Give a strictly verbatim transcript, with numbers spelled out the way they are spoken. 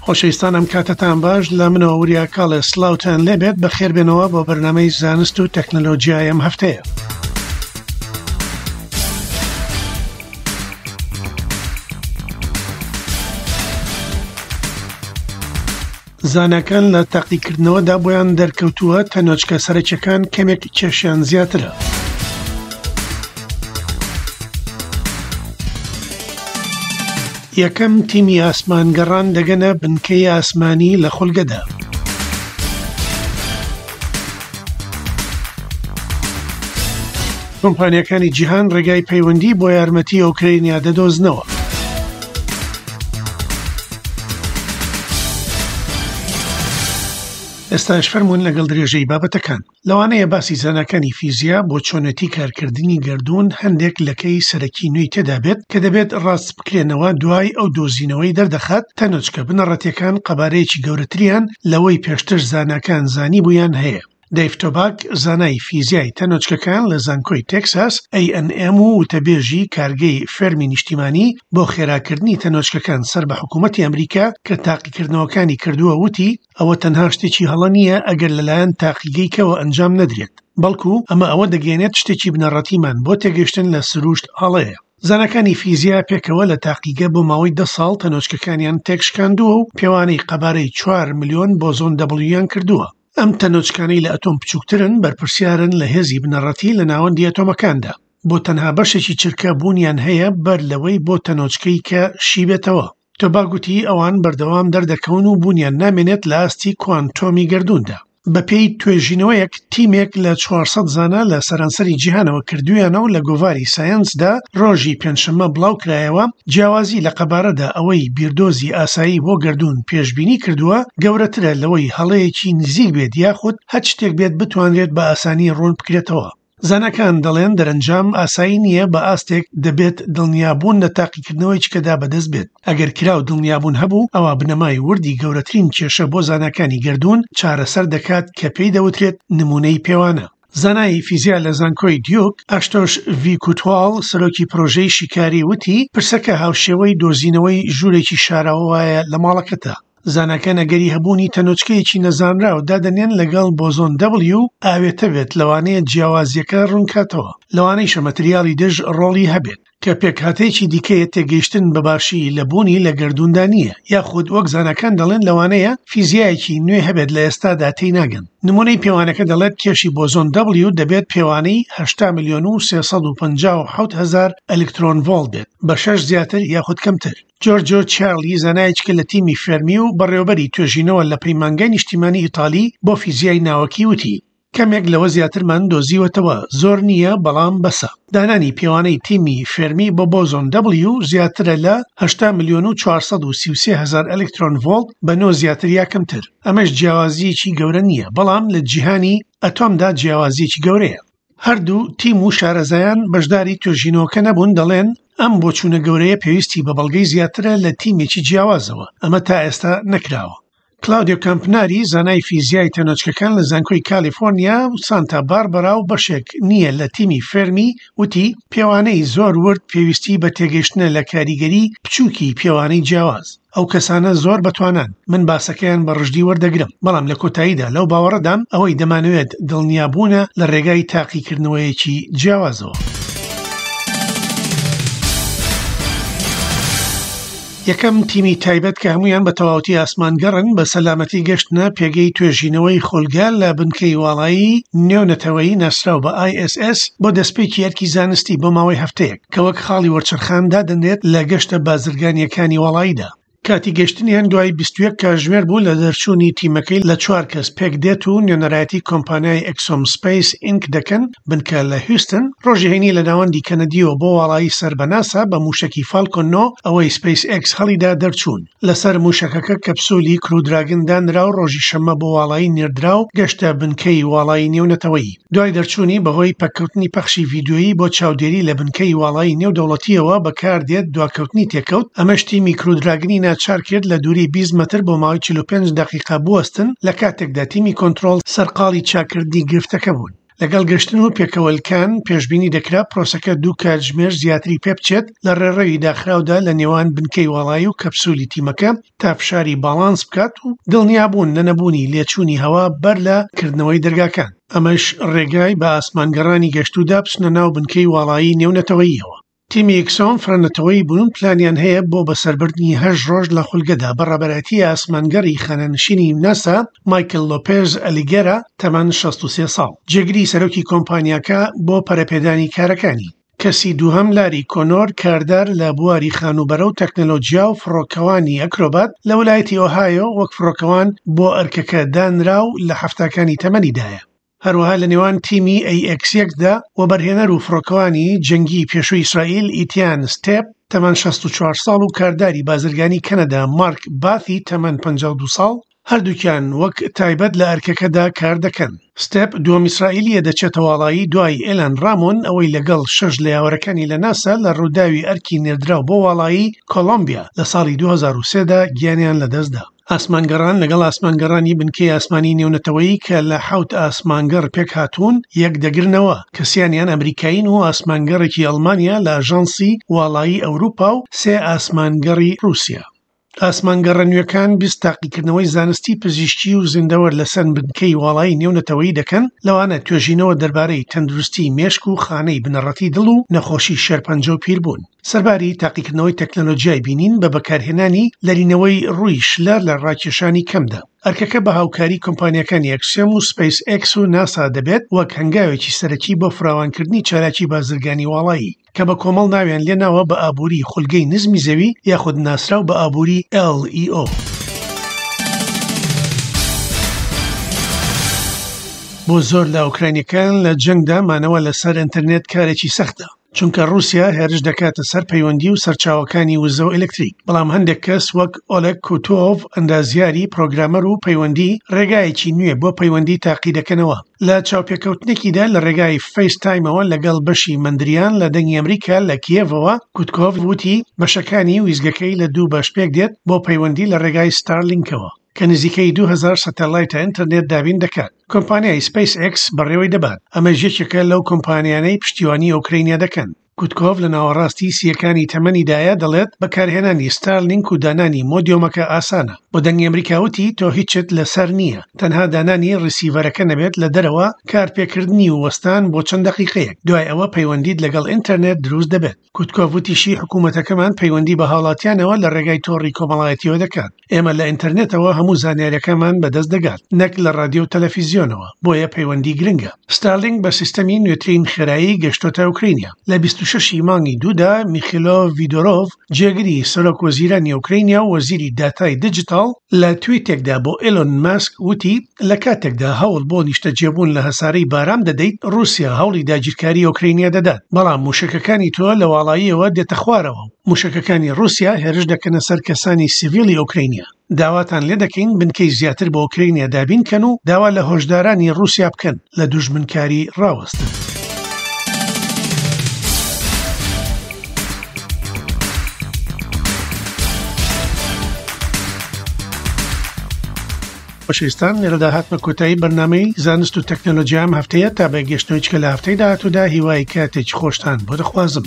خۆشەویستان ئەم کاتەتان باش، لە منەوە وریا کاڵێ سڵاوتان لێبێت. بەخێربێنەوە بۆ بەرنامەی زانست و تەکنەلۆژیای ئەم هەفتەیە. زاناکان لە تاقیکردنەوەدا بۆیان دەرکەوتووە تەنۆچکە سەرەکیەکان کەمێک کێشیان زیاترە. یەکەم تیمی ئاسمانگەڕان دەگەنە بنکەی ئاسمانی لە خولگەدا. کۆمپانیەکانی جیهان ڕێگای پەیوەندی بۆ یارمەتی ئۆکرینیا دەدۆزنەوە. ئێستاش فەرمونون لەگەڵ درێژەی بابەتەکان. لەوانەیە باسی زاناکانی فیزیا بۆ چۆنێتی کارکردنی گەردوون هەندێک لەکەی سەرەکی نوێی تێدا بێت کە دەبێت ڕاست بکرێنەوە دوای ئەو دۆزینەوەی دەردەخات تەنۆچکە بنەڕەتیەکان قەبارەیەکی گەورەتریان لەوەی پێشتر زاناکان زانی بوویان هەیە. دەیڤ تۆباک زانای فیزیای تەنۆچکەکان لە زانکۆی تێکساس ئەی ئەن ئێم و وتەبێژی کارگەی فێرمی نیشتیمانی بۆ خێراکردنی تەنۆچکەکان سەر بە حکوومەتی ئەمریکا کە تاقیکردنەوەکانی کردووە وتی ئەوە تەنها شتێکی هەڵە نییە ئەگەر لەلایەن تاقیگەیکەوە ئەنجام نەدرێت، بەڵکو ئەمە ئەوە دەگەێنێت شتێکی بنەڕەتیمان بۆ تێگەیشتن لە سروشت هەڵەیە. زاناکانی فیزیا پێکەوە لە تاقیگە بۆ ماوەی دە ساڵ تەنۆچکەکانیان تێکشکاندووە و پێوانەی قەبارەی چوار ملیۆن بۆزۆن دەبڵیان کردووە. ئەم تەنۆچکانەی لە ئەتۆم بچووکترن بەرپرسیارن لە هێزی بنەڕەتی لە ناوەندی ئەتۆمەکاندا. بۆ تەنها بەشێکی چرکە بوونیان هەیە بەر لەوەی بۆ تەنۆچکەی کە شیبێتەوە. تۆباک گوتی ئەوان بەردەوام دەردەکەون و بوونیان نامێنێت لە ئاستی کوانتۆمی گەردووندا. بەپێی توێژینەوەیەک تیمێک لە چوار سەد زانا لە سەرانسەری جیهانەوە کردویانە و لە گۆڤاری سایەنسدا ڕۆژی پێنجشەممە بڵاو کرایەوە، جیاوازی لە قەبارەدا ئەوەی بیردۆزی ئاسایی بۆ گەردوون پێشبینی کردووە گەورەترە لەوەی هەڵەیەکی نزیک بێت یاخود هەچ شتێک بێت بتوانرێت بە ئاسانی ڕوون بکرێتەوە. زاناکان دەڵێن دەرەنجام ئاسایی نییە بە ئاستێک دەبێت دڵنیابوون لە تاقیکردنەوەی چکەدا بەدەست بێت. ئەگەر کراو دڵنیابوون هەبوو ئەوە بنەمای وردی گەورەترین کێشە بۆ زاناکانی گەردوون چارەسەر دەکات کە پێی دەوترێت نمونەی پێوانە. زانای فیزیا لە زانکۆی دیوک ئاشتۆش ڤیکوتواڵ سەرۆکی پرۆژەی شیکاری وتی پرسەکە هاوشێوەی دۆزینەوەی ژوورێکی شاراوە وایە لە ماڵەکەتە. زاناکان ئەگەری هەبوونی تەنۆچکەیەکی نەزانراو دادەنێن لەگەڵ بۆزۆن دەبلیو ئاوێتە بێت، لەوانەیە جیاوازیەکە ڕوونکاتەوە. لەوانەیشە مەتریاڵی دژ ڕۆڵی هەبێت کە پێکهاتەیەکی دیکەیە تێگەیشتن بە باشی لە بوونی لە گەردووندا نییە، یاخود وەک زاناکان دەڵێن لەوانەیە فیزیایەکی نوێ هەبێت لە ئێستادا تێی ناگەن. نمونەی پێوانەکە دەڵێت کێشی بۆزۆن دەبلیو دەبێت پێوانەی هەشتا ملیۆن و سێ سەد و پەنجا و حەوت هەزار ئەلکترۆن ڤۆڵت بێت بە شەش زیاتر یاخود کەمتر. جۆرجۆ چارلی زانایەکە لە تیمی فێرمی و بەڕێوەبەری توێژینەوە لە پەیمانگای نیشتیمانی ئیتالی بۆ فیزیای ناوەکی وتی کەمێک لەوە زیاترمان دۆزیوەتەوە، زۆر نییە بەڵام بەسە. دانانی پێوانەی تیمی فێرمی بۆ بۆزۆن دەبلیو زیاترە لە هەشتا ملیۆن و چوار سەد و سی و سێ هەزار ئەلکترۆن ڤۆڵت بە نۆ زیاتر یا کەمتر. ئەمەش جیاوازیەکی گەورە نییە، بەڵام لە جیهانی ئەتۆمدا جیاوازیەکی گەورەیە. هەردوو تیم و شارەزایان بەشداری توێژینەوەکە نەبوون، دەڵێن ئەم بۆچوونە گەورەیە پێویستی بە بەڵگەی زیاترە لە تیمێکی جیاوازەوە، ئەمە تا ئێستا نەکراوە. کلاودیۆ کامپناری زانای فیزیای تەنۆچکەکان لە زانکۆی کالیفۆرنیا و سانتا باربەرا و بەشێک نییە لە تیمی فێرمی وتی پێوانەی زۆر ورد پێویستی بە تێگەیشتنە لە کاریگەری بچووکی پێوانەی جیاواز. ئەو کەسانە زۆر بەتوانان، من باسەکەیان بە ڕژدی وەردەگرم، بەڵام لە کۆتاییدا لەو باوەڕەدام ئەوەی دەمانەوێت دڵنیابوونە لە ڕێگای تاقیکردنەوەیەکی جیاوازەوە. یەکەم تیمی تایبەت کە هەمویان بە تەواوەتی ئاسمانگەڕن بە سەلامەتی گەشتنە پێگەی توێژینەوەی خولگە لە بنکەی واڵایی نێونەتەوەیی ناسراو بە ئای ئێس ئێس بۆ دەستپێکی ئەرکی زانستی بۆ ماوەی هەفتەیەک کە وەک خاڵی وەرچەرخان دادەنرێت لە گەشتە بازرگانیەکانی واڵاییدا. کاتی گەشتنیان دوای بیست و یەک کاتژمێر بوو لە دەرچوونی تیمەکەی لە چوار کەس پێک دێت و نوێنەرایەتی کۆمپانیای ئەکسۆم سپەیس ئینک دەکەن بنکە لە هیوستن ڕۆژی هەینی لە ناوەندی کەنەدیەوە بۆ واڵایی سەر بە ناسا بە موشەکی فالکۆن نۆ ئەوەی سپەیس ئێکس هەڵیدا دەرچوون. لەسەر موشەکەکە کەپسولی کرو دراگن دانرا و ڕۆژی شەممە بۆ واڵایی نێردرا و گەشتە بنکەی واڵایی نێونەتەوەیی. دوای دەرچوونی بەهۆی پەککەوتنی پەخشی ڤیدیۆیی بۆ چاودێری لە بنکەی واڵایی نێودەوڵەتیەوە بەکاردێت دواکەوتنی تێکەوت، ئەمەش تیمی کرو دراگنی ناچار کرد لە دووری بیست مەتر بۆ ماوەی چل و پێنج دەقیقە بوەستن لە کاتێکدا تیمی کۆنترۆڵ سەرقاڵی چاکردنی گرفتەکە بوون. لەگەڵ گەشتن و پێکەوەلکان پێشبینی دەکرا پرۆسەکە دوو کاتژمێر زیاتری پێبچێت لە ڕێڕەوی داخراودا لە نێوان بنکەی واڵایی و کەپسولی تیمەکە تا فشاری باڵانس بکات و دڵنیابوون لە نەبوونی لێچوونی هەوا بەر لە کردنەوەی دەرگاکان. ئەمەش ڕێگای بە ئاسمانگەڕانی گەشتودا بچنە ناو بنکەی واڵایی نێونەتەوەییەوە. تیمی ئەکسیۆم فرەنەتەوەی بوون پلانیان هەیە بۆ بەسەربردنی هەشت ڕۆژ لە خولگەدا بە ڕابەرایەتی ئاسمانگەڕی خانەنشینی ناسا مایکل لۆپێز ئەلیگێرا تەمەن شەست و سێ ساڵ، جێگری سەرۆکی کۆمپانیاکە بۆ پەرەپێدانی کارەکانی. کەسی دووهەم لاری کۆنۆر کاردار لە بواری خانووبەرە و تەکنەلۆجیا و فڕۆکەوانی ئەکرۆبات لە ویلایەتی ئۆهایۆ وەک فڕۆکەوان بۆ ئەرکەکە دانرا و لە هەفتاکانی تەمەنیدایە. هەروەها لە نێوان تیمی ئەی ئێکس یەکدا وەبەرهێنەر و فڕۆکەوانی جەنگی پێشووی ئیسرائیل ئیتیان ستێپ تەمەن شەست و چوار ساڵ و کارداری بازرگانی کەنەدا مارک باثی تەمەن پەنجا و دوو ساڵ هەردووکیان وەک تایبەت لە ئەرکەکەدا کار دەکەن. ستێپ دووەم ئیسرائیلیە دەچێتە واڵایی دوای ئێلان ڕامۆن ئەوەی لەگەڵ شەش لە یاوەرەکانی لە ناسا لە ڕووداوی ئەرکی نێردراو بۆ واڵایی کۆلۆمبیا لە ساڵی دوو هەزار و سێدا گیانیان لەدەستدا. ئاسمانگەڕان لەگەڵ ئاسمانگەڕانی بنکەی ئاسمانی نێونەتەوەیی کە لە حەوت ئاسمانگەڕ پێک هاتوون یەک دەگرنەوە، کەسیانیان ئەمریکایین و ئاسمانگەڕێکی ئەڵمانیا لە ئاژانسی واڵایی ئەوروپا و سێ ئاسمانگەڕی ڕووسیا. ئاسمانگەڕە نوێکان بیست تاقیکردنەوەی زانستی پزیشکی و زیندەوەر لەسەر بنکەی واڵایی نێونەتەوەیی دەکەن، لەوانە توێژینەوە دەربارەی تەندروستی مێشک و خانەی بنەڕەتی دڵ و نەخۆشی شێرپەنجە و پیربوون. سەرباری تاقیکردنەوەی تەکنەلۆژیای بینین بە بەکارهێنانی لەرینەوەی ڕووی شلە لە ڕاکێشانی کەمدا. ئەرکەکە بە هاوکاری کۆمپانیەکانی ئەکسیۆم و سپەیس ئێکس و ناسا دەبێت وەک هەنگاوێکی سەرەکی بۆ فراوانکردنی چالاکی بازرگانی واڵایی کە بە کۆمەڵ ناویان لێناوە بە ئابووری خولگەی نزمی زەوی یاخود ناسراو بە ئابووری ئێل ئی ئۆ. بۆ زۆر لە ئۆکراینیەکان لە جەنگدا مانەوە لەسەر ئینتەرنێت کارێکی سەختە، چونکە ڕووسیا هێرش دەکاتە سەر پەیوەندی و سەرچاوەکانی وزە و ئەلکتریک. بەڵام هەندێک کەس وەک ئۆلێگ کوتۆڤ ئەندازیاری پرۆگرامەر و پەیوەندی ڕێگایەکی نوێ بۆ پەیوەندی تاقی دەکەنەوە. لە چاوپێکەوتنێکیدا لە ڕێگای فەیستایمەوە لەگەڵ بەشی مەندریان لە دەنگی ئەمریکا لە کیێڤەوە، کوتکۆڤ وتی بەشەکانی ویزگەکەی لە دوو بەش پێک دێت بۆ پەیوەندی لە ڕێگای ستارلینکەوە کە نزیکەی دوو هەزار سەتەلایتە ئینتەرنێت دابین دەکات. کۆمپانیای سپەیس ئێکس بەڕێوەی دەبات. ئەمەش یەکێکە لەو کۆمپانیانەی پشتیوانی ئۆکرینیا دەکەن. کوتکۆڤ لە ناوەڕاستی سیەکانی تەمەنیدایە دەڵێت بەکارهێنانی ستارلینک و دانانی مۆدیۆمەکە ئاسانە. بۆ دەنگی ئەمریکا وتی تۆ هیچت لەسەر نییە، تەنها دانانی ڕیسیڤەرەکە نەبێت لە دەرەوە، کارپێکردنی و وەستان بۆ چەند دەقیقەیەک، دوای ئەوە پەیوەندیت لەگەڵ ئینتەرنێت دروست دەبێت. کوتکۆڤ وتیشی حکوومەتەکەمان پەیوەندی بە هاوڵاتیانەوە لە ڕێگای تۆڕی کۆمەڵایەتیەوە دەکات. ئێمە لە ئینتەرنێتەوە هەموو زانیاریەکانمان بەدەست دەگات، نەک لە ڕادیۆ و تەلەفیزیۆنەوە، بۆیە پەیوەندی گرنگە. ستارلینک بە سیستەمی نوێترین خێرایی گەشتۆتە ئۆکرینیا. لە بیست و شەش مانگی دوودا میخیلۆ ڤیدۆرۆڤ جێگری سەرۆک وەزیرانی ئۆکرینیا و وەزیری داتای دیجیتاڵ لە تویتێکدا بۆ ئیلۆن ماسک وتی لە کاتێکدا هەوڵ بۆ نیشتەجێبوون لە هەسارەی بارام دەدەیت، ڕووسیا هەوڵی داگیرکاری ئۆکرینیا دەدات، بەڵام موشەکەکانی تۆ لە واڵاییەوە دێتە خوارەوە. موشەکەکانی ڕووسیا هێرش دەکەنە سەر کەسانی سیڤیلی ئۆکرینیا. داواتان لێ دەکەین بنکەی زیاتر بۆ ئۆکرینیا دابین کەن و داوا لە هۆشدارانی ڕووسیا بکەن لە دوژمنکاری ڕاوەستن. خۆشەویستان، لێرەدا هاتمە کۆتایی بەرنامەی زانست و تەکنەلۆژیا ئەم هەفتەیە. تا بە گەشتنەوەی چکە لە هەفتەی داهاتوودا هیوای کاتێکی خۆشتان بۆ دەخوازم.